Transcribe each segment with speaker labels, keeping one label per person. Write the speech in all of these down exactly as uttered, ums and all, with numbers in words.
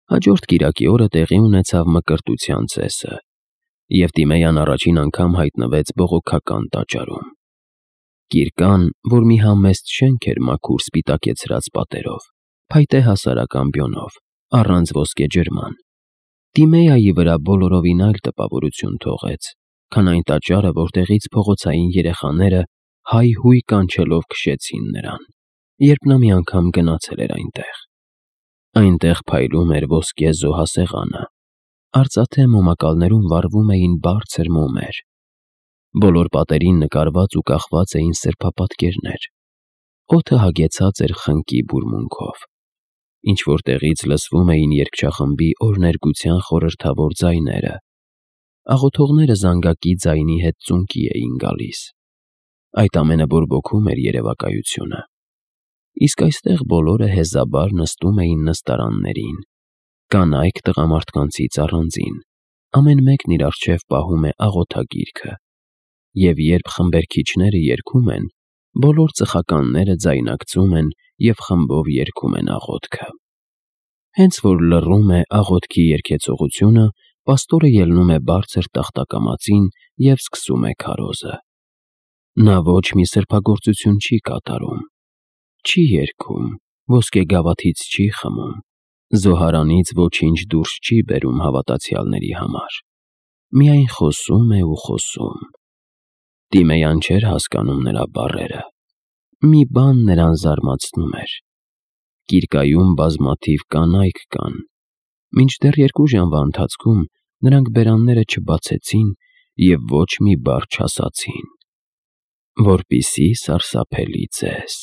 Speaker 1: Հաջորդ կիրակի օրը տեղի ունեցավ Մկրտության ծեսը, և Տիմեյան առաջին անգամ հայտնվեց բողոքական տաճարում։ Կիրկան, որ մի համեստ շենք էր մաքուր սպիտակեցրած պատերով, փայտե հասարակ ամբիոնով, առանց ոսկե ջրման, Տիմեյայի վրա բոլորովին այլ տպավորություն թողեց, քան այն տաճարը, որտեղից փողոցային երեխաները հայհույն կանչելով քշեցին նրան, երբ նա մի անգամ գնացել էր այնտեղ։ Այնտեղ փայլում էր ոսկե զոհասեղանը, արծաթե մոմակալներում վառվում էին բարձր մոմեր, բոլոր պատերին նկարված ու կախված էին սրբապատկերներ, օդը հագեցած էր խնկի բուրմունքով, ինչ-որ տեղից լսվում էին երգչախմբի օրհներգության խորհրդավոր ձայները, աղոթողները զանգակի ձայնի հետ ծունկի էին գալիս։ Այդ ամենը բորբոքում էր երևակայությունը։ Իսկ այստեղ բոլորը հեզաբար նստում էին նստարաններին, կանայք տղամարդկանցից առանձին, ամեն մեկն իր առջև պահում է աղոթագիրքը, և երբ խմբերգիչները երգում են, բոլոր ծխականները ձայնարկծում են և խմբով երգում են աղոթքը։ Հենց որ լռում է աղոթքի երգեցողությունը, պաստորը ելնում է բարձր տախտակամածին և սկսում է քարոզը։ Նա ոչ մի սրբագործություն չի կատարում, չի երգում, ոսկե գավաթից չի խմում, զոհարանից ոչինչ դուրս չի բերում հավատացյալների համար, միայն խոսում է ու խոսում։ Տիմեյան չէր հասկանում նրա բառերը։ Մի բան նրան զարմացնում էր. Կիրկայում բազմաթիվ կանայք կան, մինչդեռ երկու ժամվա ընթացքում նրանք բերանները չբացեցին և ոչ մի բառ չասացին, որպիսի սարսափելի ձեզ։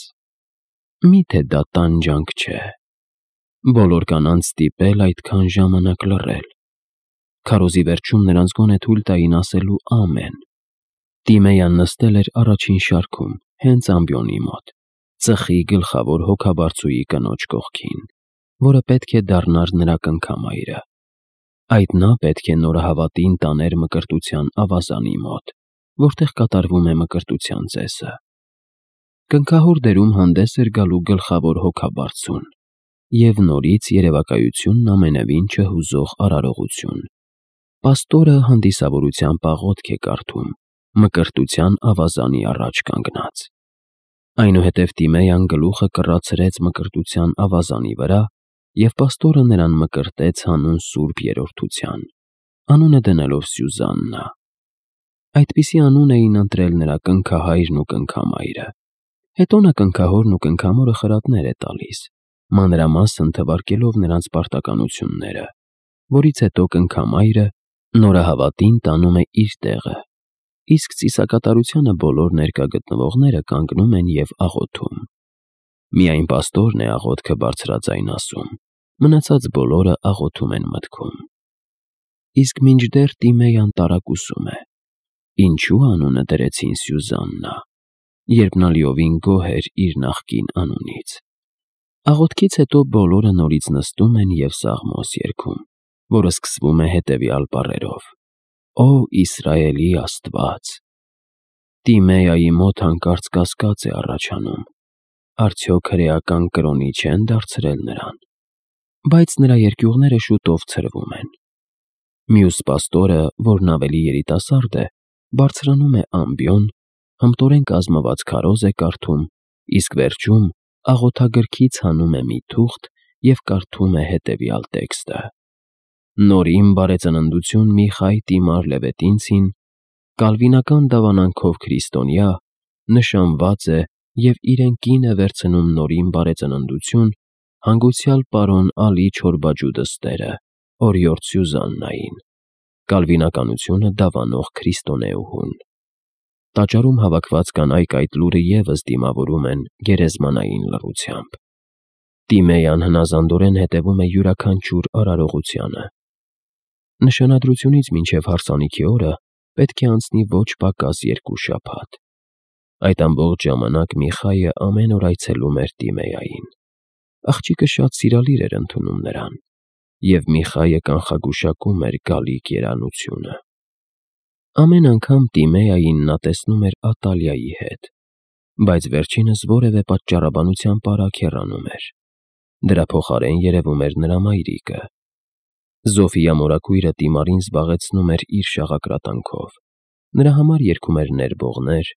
Speaker 1: Մի՞թե դա տանջանք չէ, բոլոր կանանց ստիպել այդքան ժամանակ լռել։ Քարոզի վերջում նրանց գոնե թույլ տային ասելու ամեն։ Տիմեյան նստել էր առաջին շարքում, հենց ամբիոնի մոտ, ծխի գլխավոր հոգաբարձուի կնոջ կողքին, որը պետք է դառնար նրա կնքամայրը։ Այդ նա պետք է նորահավատին տաներ Մկրտության ավազանի մոտ, որտեղ կատարվում է Մկրտության ծեսը։ Կնքահոր դերում հանդես էր գալու գլխավոր հոգաբարձուն, և նորից երևակայությունն ամենևին չհուզող արարողություն։ Պաստորը հանդիսավորությամբ աղոթք է կարդում, Մկրտության ավազանի առաջ կանգնած։ Այնուհետև Տիմեյան գլուխը կռացրեց Մկրտության ավազանի վրա, և պաստորը նրան մկրտեց հանուն սուրբ երրորդության, անունը դնելով Սյուզաննա։ Այդպիսի անուն էին ընտրել նրա կնքահայրն ու կնքամայրը։ Հետո նա կնքահորն ու կնքամորը խրատներ է տալիս, մանրամասն թվարկելով նրանց պարտականությունները, որից հետո կնքամայրը նորահավատին տանում է իր տեղը, իսկ ծիսակատարությանը բոլոր ներկա գտնվողները կանգնում են և աղոթում։ Միայն պաստորն է աղոթքը բարձրաձայն ասում, մնացած բոլորը աղոթում են մտքում։ Իսկ մինչդեռ Տիմեյան տարակուսում է. ինչու անունը դրեցին Սյուզաննա, երբ նա լիովին գոհ էր իր նախկին անունից։ Աղոթքից հետո բոլորը նորից նստում են և Սաղմոս երգում, որը սկսվում է հետևյալ բառերով. «Ո Իսրայելի Աստված»։ Տիմեյայի մոտ հանկարծ կասկած է առաջանում. արդյոք հրեական կրոնի չեն դարձրել նրան։ Բայց նրա երկյուղները շուտով ցրվում են։ Մյուս պաստորը, որն ավելի երիտասարդ է, բարձրանում է ամբիոն, հմտորեն կազմված քարոզ է կարդում, իսկ վերջում աղոթագրքից հանում է մի թուղթ և կարդում է հետևյալ տեքստը. «Նորին բարեծննդություն Միխայ Տիմար Լևետինցին, կալվինական դավանանքով քրիստոնյա, նշանված է և իրեն կին է վերցնում նորին բարեծննդություն հանգուցյալ պարոն Ալի Չորբաջու դստերը, օրիորդ Սյուզաննային, կալվինականությունը դավանող քրիստոնեուհուն»։ Տաճարում հավաքված կանայք այդ լուրը ևս դիմավորում են գերեզմանային լռությամբ։ Տիմեյան հնազանդորեն հետևում է յուրաքանչյուր արարողությանը։ Նշանադրությունից մինչև հարսանիքի օրը պետք է անցնի ոչ պակաս երկու շաբաթ։ Այդ ամբողջ ժամանակ Միխայը ամեն օր այցելում էր Տիմեյային։ Աղջիկը շատ սիրալիր էր ընդունում նրան, և Միխայը կանխագուշակում էր գալիք երանությունը։ Ամեն անգամ Տիմեյային նա տեսնում էր Ատալիայի հետ, բայց վերջինս որևէ պատճառաբանությամբ արագ հեռանում էր։ Դրա փոխարեն երևում էր նրա մայրիկը, Զոֆիա մորաքույրը Տիմարին զբաղեցնում էր իր շաղակրատանքով, նրա համար երգում էր ներբողներ,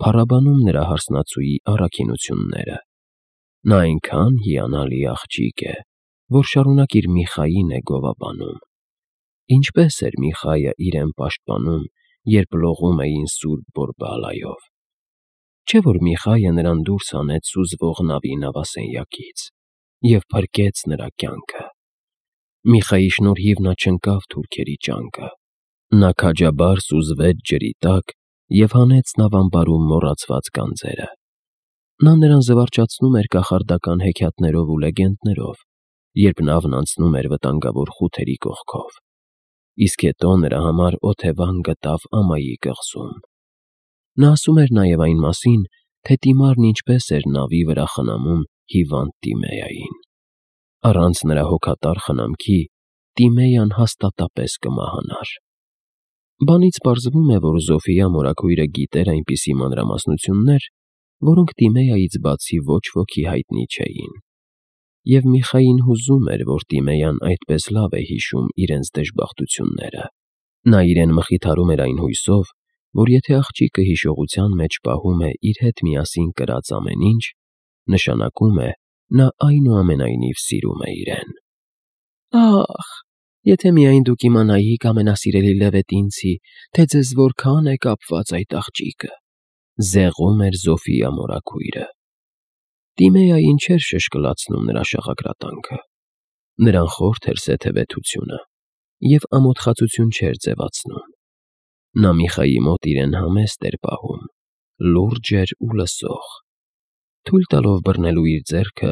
Speaker 1: փառաբանում նրա հարսնացուի առաքինությունները։ Նա այնքան հիանալի աղջիկ է, որ շարունակ իր Միխային է գովաբանում։ Ինչպես էր Միխայը իրեն պաշտպանում, երբ լողում էին Սուրբ Բորբալայով։ Չէ՞ որ Միխայը նրան դուրս հանեց սուզվող նավի նավասենյակից և փրկեց նրա կյանքը։ Միխայի շնորհիվ նա չընկավ թուրքերի ճանկը։ Նա քաջաբար սուզվեց ջրի տակ և հանեց նավամբարում մոռացված գանձերը։ Նա նրան զվարճացնում էր կախարդական հեքիաթներով ու լեգենդներով, երբ նավն անցնում էր վտանգավոր խութերի կողքով, իսկ հետո նրա համար օթևան գտավ ամայի կղզում։ Նա ասում էր նաև այն մասին, թե Տիմարն ինչպես էր նավի վրա խնամում հիվանդ Տիմեային։ Առանց նրա հոգատար խնամքի Տիմեյան հաստատապես կմահանար։ Բանից պարզվում է, որ Զոֆիա մորաքույրը գիտեր այնպիսի մանրամասնություններ, որոնք Տիմեայից բացի ոչ ոքի հայտնի չէին։ Եվ Միխային հուզում էր, որ Տիմեյան այդպես լավ է հիշում իրենց դժբախտությունները։ Նա իրեն մխիթարում էր այն հույսով, որ եթե աղջիկը հիշողության մեջ պահում է իր հետ միասին կրած ամեն ինչ, նշանակում է, նա այնուամենայնիվ սիրում է իրեն։ «Ախ, եթե միայն դուք իմանայիք, ամենասիրելի Լևետինցի, թե ձեզ որքան է կապված այդ աղջիկը», զեղում էր Զոֆիա մորաքույրը։ Տիմեային չէր շշկլացնում նրա շաղակրատանքը։ Նրան խորթ էր սեթևեթությունը և ամոթխածություն չէր ձևացնում։ Նա Միխայի մոտ իրեն համեստ էր պահում, լուրջ էր ու լսող։ Թույլ տալով բռնելու իր ձեռքը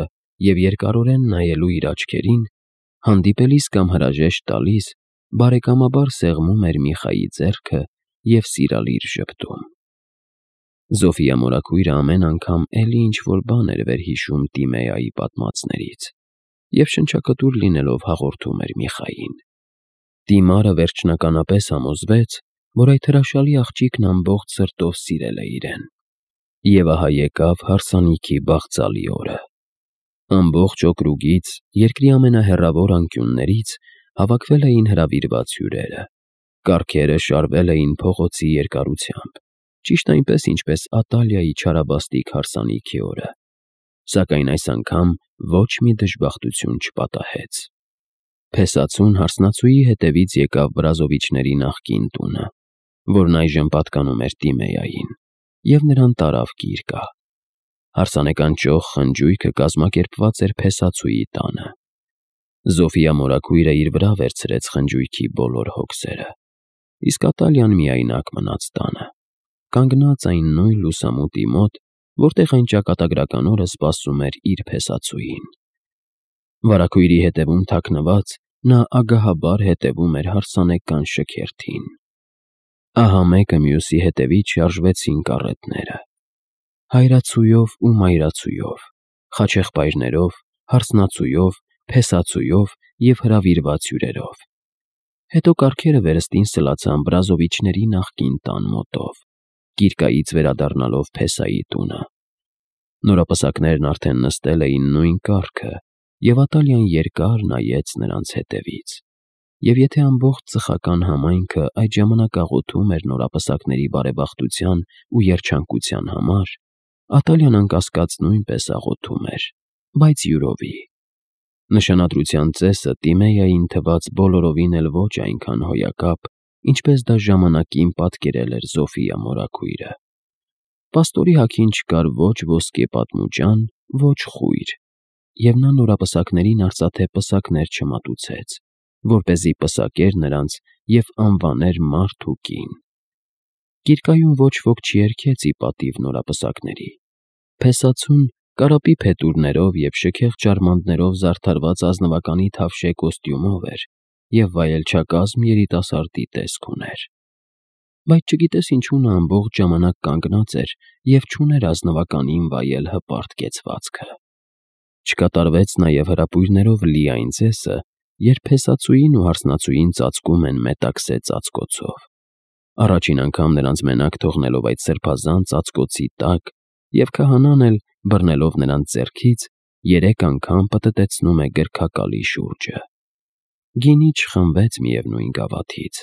Speaker 1: և երկարորեն նայելու իր աչքերին, հանդիպելիս կամ հրաժեշտ տալիս, բարեկամաբար սեղմում էր Միխայի ձեռքը և սիրալիր ժպտում։ Զոֆիա մորաքույրը ամեն անգամ էլի ինչ-որ բան էր վերհիշում Տիմեայի պատմածներից և շնչակտուր լինելով հաղորդում էր Միխային։ Տիմարը վերջնականապես համոզվեց, որ այդ հրաշալի աղջիկն ամբողջ սրտով սիրել է իրեն։ Եվ ահա եկավ հարսանիքի բաղձալի օրը։ Ամբողջ օկրուգից, երկրի ամենահեռավոր անկյուններից հավաքվել էին հրավիրված հյուրերը։ Կառքերը շարվել էին փողոցի երկարությամբ, ճիշտ այնպես, ինչպես Ատալիայի չարաբաստիկ հարսանիքի օրը։ Սակայն այս անգամ ոչ մի դժբախտություն չպատահեց։ Փեսացուն հարսնացուի հետևից եկավ Բրազովիչների նախկին տունը, որն այժմ պատկանում էր Տիմեային, և նրան տարավ գիրկը։ Հարսանեկան ճոխ խնջույքը կազմակերպված էր փեսացուի տանը։ Զոֆիա մորաքույրը իր վրա վերցրեց խնջույքի բոլոր հոգսերը, իսկ Ատալիան միայնակ մնաց տանը, կանգնած այն նույն լուսամուտի մոտ, որտեղ այն ճակատագրական օրը սպասում էր իր փեսացուին։ Վարագույրի հետևում թաքնված՝ նա ագահաբար հետևում էր հարսանեկան շքերթին։ Ահա մեկը մյուսի հետևից շարժվեցին կառետները։ Հայրացուով ու մայրացուով, խաչեղբայրներով, հարսնացուով, փեսացուով և հրավիրված հյուրերով։ Հետո կառքերը վերստին սլացան Բրազովիչների նախկին տան մոտով, գիրկայից վերադառնալով Փեսայի տունը։ Նորապսակներն արդեն նստել էին նույն կառքը, և Ատալիան երկար նայեց նրանց հետևից։ Եվ եթե ամբողջ ծխական համայնքը այդ ժամանակ աղոթում էր նորապսակների բարեբախտության ու երջանկության համար, Ատալիան անկասկած նույնպես աղոթում էր, բայց յուրովի։ Նշանադրության ծեսը Տիմեային թվաց բոլորովին էլ ոչ այնքան հոյակապ, ինչպես դա ժամանակին պատկերել էր Զոֆիա մորաքույրը։ Պաստորի հագին չկար ոչ ոսկե պատմուջան, ոչ խույր, և նա նորապսակներին արծաթե պսակներ չմատուցեց, որպեսզի պսակեր նրանց և անվաներ մարդ ու կին։ Գիրկայում ոչ ոք չերգեց ի պատիվ նորապսակների։ Փեսացուն կարապի փետուրներով և շքեղ ջարմանդներով զարդարված ազնվականի թավշե կոստյումով էր և վայելչակազմ երիտասարդի տեսք ուներ։ Բայց չգիտես ինչու նա ամբողջ ժամանակ կանգնած էր և չուներ ազնվականին վայել հպարտ կեցվածքը։ Չկատարվեց նաև հրապույրներով լի այն ծեսը, երբ փեսացուին ու հարսնացուին ծածկում են մետաքսե ծածկոցով։ Առաջին անգամ նրանց մենակ թողնելով այդ սրբազան ծածկոցի տակ, և քահանան էլ, բռնելով նրանց ձեռքից, երեք անգամ պտտեցնում է գրքակալի շուրջը։ գինի չխմվեց միևնույն գավաթից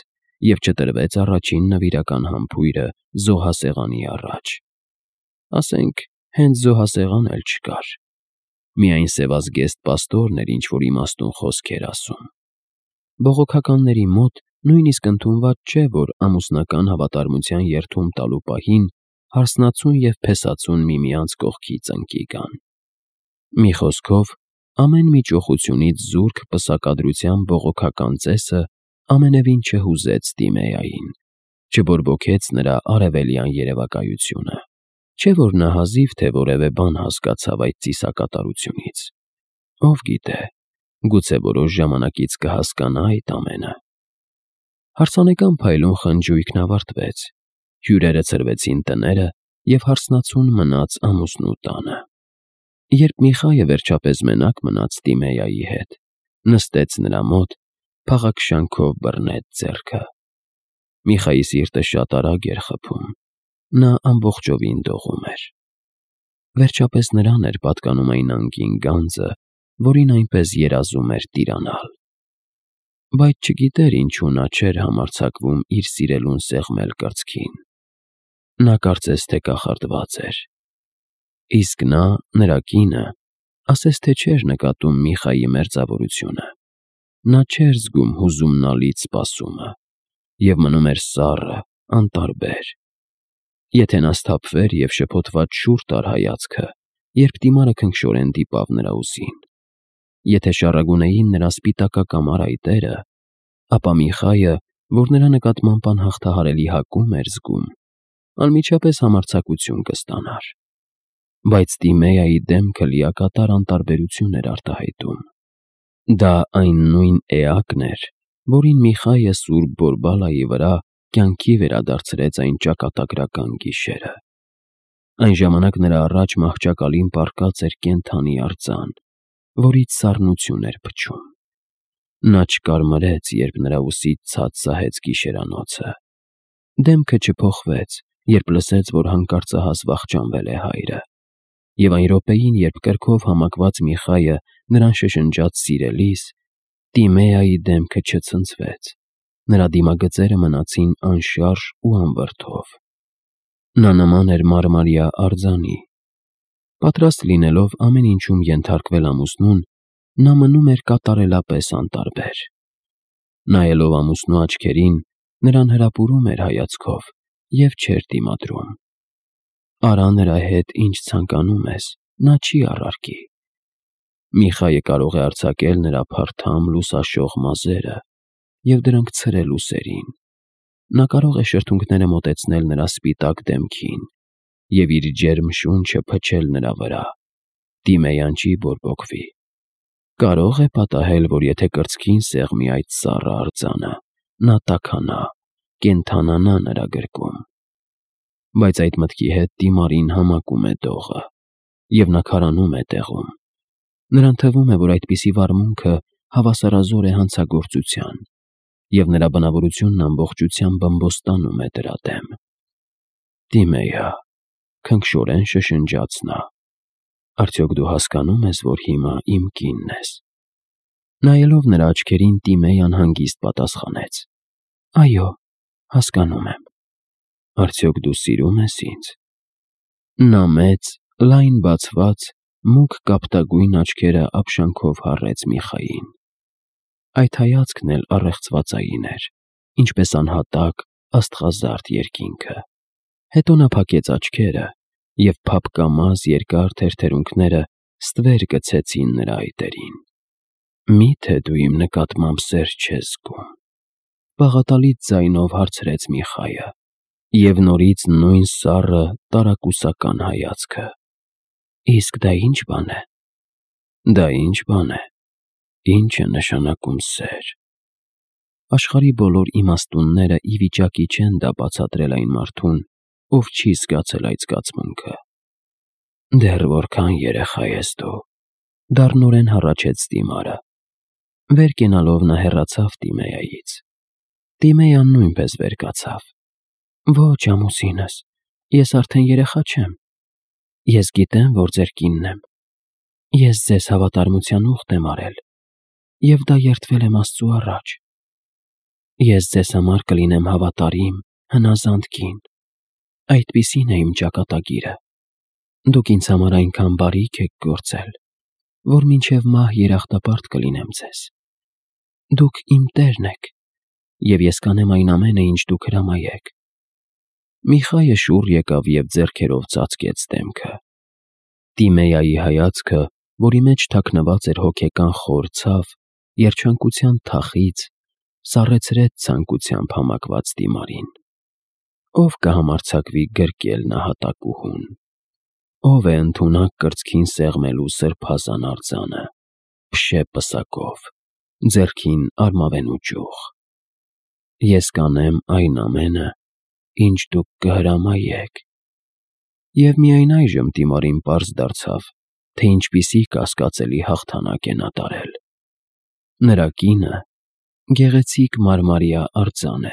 Speaker 1: և չտրվեց առաջին նվիրական համբույրը զոհասեղանի առաջ։ Ասենք, հենց զոհասեղան էլ չկար, միայն սևազգեստ պաստորն էր ինչ-որ իմաստուն խոսքեր ասում։ Բողոքականների մոտ նույնիսկ ընդունված չէ, որ ամուսնական հավատարմության երդում տալու պահին հարսնացուն և փեսացուն միմյանց կողքից ընկի գան։ Մի խոսքով, ամեն մի ճոխությունից զուրկ պսակադրության բողոքական ծեսը ամենևին չհուզեց Տիմեային, չբորբոքեց նրա արևելյան երևակայությունը, չէ՞ որ նա հազիվ թե որևէ բան հասկացավ այդ ծիսակատարությունից։ Ով գիտե, գուցե որոշ ժամանակից կհասկանա այդ ամենը։ Հարսանեկան փայլուն խնջույքն ավարտվեց, հյուրերը ցրվեցին տները և հարսնացուն մնաց ամուսնու տանը։ Երբ Միխայը վերջապես մենակ մնաց Տիմեայի հետ, նստեց նրա մոտ, փաղաքշանքով բռնեց ձեռքը։ Միխայի սիրտը շատ արագ էր խփում, նա ամբողջովին դողում էր։ Վերջապես նրան էր պատկանում այն անկին գանձը, որին այնպես երազում էր տիրանալ։ Բայց չգիտեր ինչու նա չէր համարձակվում իր սիրելուն սեղմել կրծքին։ Նա կարծես թե կախարդված էր։ Իսկ նա, նրա կինը, ասես թե չէր նկատում Միխայի մերձավորությունը։ Նա չէր զգում հուզումնալից սպասումը և մնում էր սառը, անտարբեր։ Եթե նա սթափվեր և շփոթված շուռ տար հայացքը, երբ դիմարը քնքշորեն դիպավ նրա ուսին, եթե շառագունեին նրա սպիտակակամար այտերը, ապա Միխայը, որ նրա նկատմամբ անհաղթահարելի հակում էր զգում, անմիջապես համարձակություն կստանար։ Բայց Տիմեայի դեմքը լիակատար անտարբերություն էր արտահայտում։ Դա այն նույն էակն էր, որին Միխայը սուրբ Բորբալայի վրա կյանքի վերադարձրեց այն ճակատագրական գիշերը։ Այն ժամանակ նրա առաջ մահճակալին պառկած էր կենդանի արձան, որից սառնություն էր փչում։ Նա չկարմրեց, երբ նրա ուսից ցած սահեց գիշերանոցը։ Դեմքը չփոխվեց, երբ լսեց, որ հանկարծահաս վախճանվել է հայրը։ Եվ այն րոպեին, երբ կրքով համակված Միխայը նրան շշնջաց սիրելիս, Տիմեայի դեմքը չցնցվեց, նրա դիմագծերը մնացին անշարժ ու անվրդով։ Նա նման էր մարմարյա արձանի։ Պատրաստ լինելով ամեն ինչում ենթարկվել ամուսնուն, նա մնում էր կատարելապես անտարբեր։ Նայելով ամուսնու աչքերին, նրան հրապուրում էր հայացքով և չէր դիմադրում։ Արա նրա հետ ինչ ցանկանում ես, նա չի առարկի։ Միխայը կարող է արձակել նրա փարթամ լուսաշող մազերը և դրանք ցրել ուսերին։ Նա կարող է շրթունքները մոտեցնել նրա սպիտակ դեմքին և իր ջերմ շունչը փչել նրա վրա։ Տիմեյան չի բորբոքվի։ Կարող է պատահել, որ եթե կրծքին սեղմի այդ սառը արձանը, նա տաքանա, կենդանանա նրա գրկում։ Բայց այդ մտքի հետ դիմարին համակում է դողը, և նա քարանում է տեղում։ Նրան թվում է, որ այդպիսի վարմունքը հավասարազոր է հանցագործության, և նրա բնավորությունն ամբողջությամբ բմբոստանում է դրա դեմ։ Տիմեյա, քնքշորեն շշնջաց նա, արդյոք դու հասկանո՞ւմ ես, որ հիմա իմ կինն ես։ Նայելով նրա աչքերին, Տիմեյան հանգիստ պատասխանեց. Այո, հասկանում եմ։ Արդյոք դու սիրում ես ինձ։ Նա մեծ, լայն բացված, մուգ կապտագույն աչքերը ապշանքով հառեց Միխային։ Այդ հայացքն էլ առեղծվածային էր, ինչպես անհատակ, աստղազարդ երկինքը։ Հետո նա փակեց աչքերը, և փափկամազ երկար թերթերունքները ստվեր գցեցին նրա այտերին։ Մի՞թե դու իմ նկատմամբ սեր չես զգում, բաղատալից ձայնով հարցրեց Միխայը, և նորից նույն սառը, տարակուսական հայացքը։ Իսկ դա ի՞նչ բան է։ Դա ի՞նչ բան է։ Ի՞նչ է նշանակում սեր։ Աշխարհի բոլոր իմաստունները ի վիճակի չեն դա բացատրել այն մարդուն, ով չի զգացել այդ զգացմունքը։ Դեռ որքան երեխա ես դու, դառնորեն հառաչեց դիմարը։ Վեր կենալով նա հեռացավ Տիմեայից։ Տիմեյան նույնպես վեր կացավ։ Ոչ, ամուսինս, ես արդեն երեխա չեմ։ Ես գիտեմ, որ ձեր կինն եմ։ Ես ձեզ հավատարմության ուխտ եմ արել։ և դա երդվել եմ Աստծու առաջ։ Ես ձեզ համար կլինեմ հավատարիմ, հնազանդ կին, այդպիսին է իմ ճակատագիրը։ Դուք ինձ համար այնքան բարիք եք գործել, որ մինչև մահ երախտապարտ կլինեմ ձեզ։ Դուք իմ տերն եք, և ես կանեմ այն ամենը, ինչ դուք հրամայեք։ Միխայը շուռ եկավ և ձեռքերով ծածկեց դեմքը։ Տիմեայի հայացքը, որի մեջ թաքնված էր հոգեկան խոր ցավ, երջանկության թախիծ, սառեցրեց ցանկությամբ համակված դիմարին։ Ո՞վ կհամարձակվի գրկել նահատակուհուն։ Ո՞վ է ընդունակ կրծքին սեղմելու սրբազան արձանը, փշե պսակով, ձեռքին արմավենու ճյուղ։ Ես կանեմ այն ամենը, ինչ դուք կհրամայեք։ Եվ միայն այժմ Տիմարին պարզ դարձավ, թե ինչպիսի կասկածելի հաղթանակ է նա տարել։ Նրա կինը գեղեցիկ մարմարյա արձան է։